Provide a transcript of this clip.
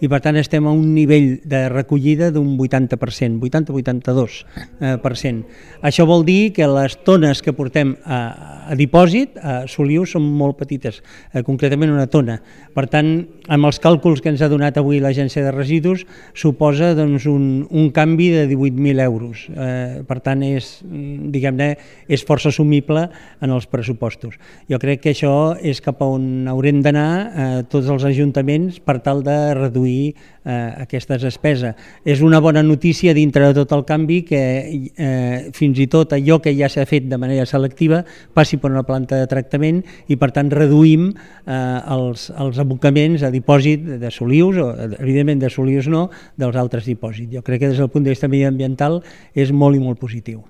i per tant estem a un nivell de recollida d'un 80%, 80-82%. Això vol dir que les tones que portem a dipòsit a Solius són molt petites, concretament una tona. Per tant, amb els càlculs que ens ha donat avui l'Agència de Residus, suposa doncs, un canvi de 18.000 euros. Per tant, és força assumible en els pressupostos. Jo crec que això és cap a on haurem d'anar tots els ajuntaments per tal de reduir aquesta despesa. És una bona notícia dintre de tot el canvi que fins i tot allò que ja s'ha fet de manera selectiva passi per una planta de tractament i per tant reduïm els abocaments a dipòsit de Solius, o evidentment de Solius no, dels altres dipòsits. Jo crec que des del punt de vista mediambiental és molt i molt positiu.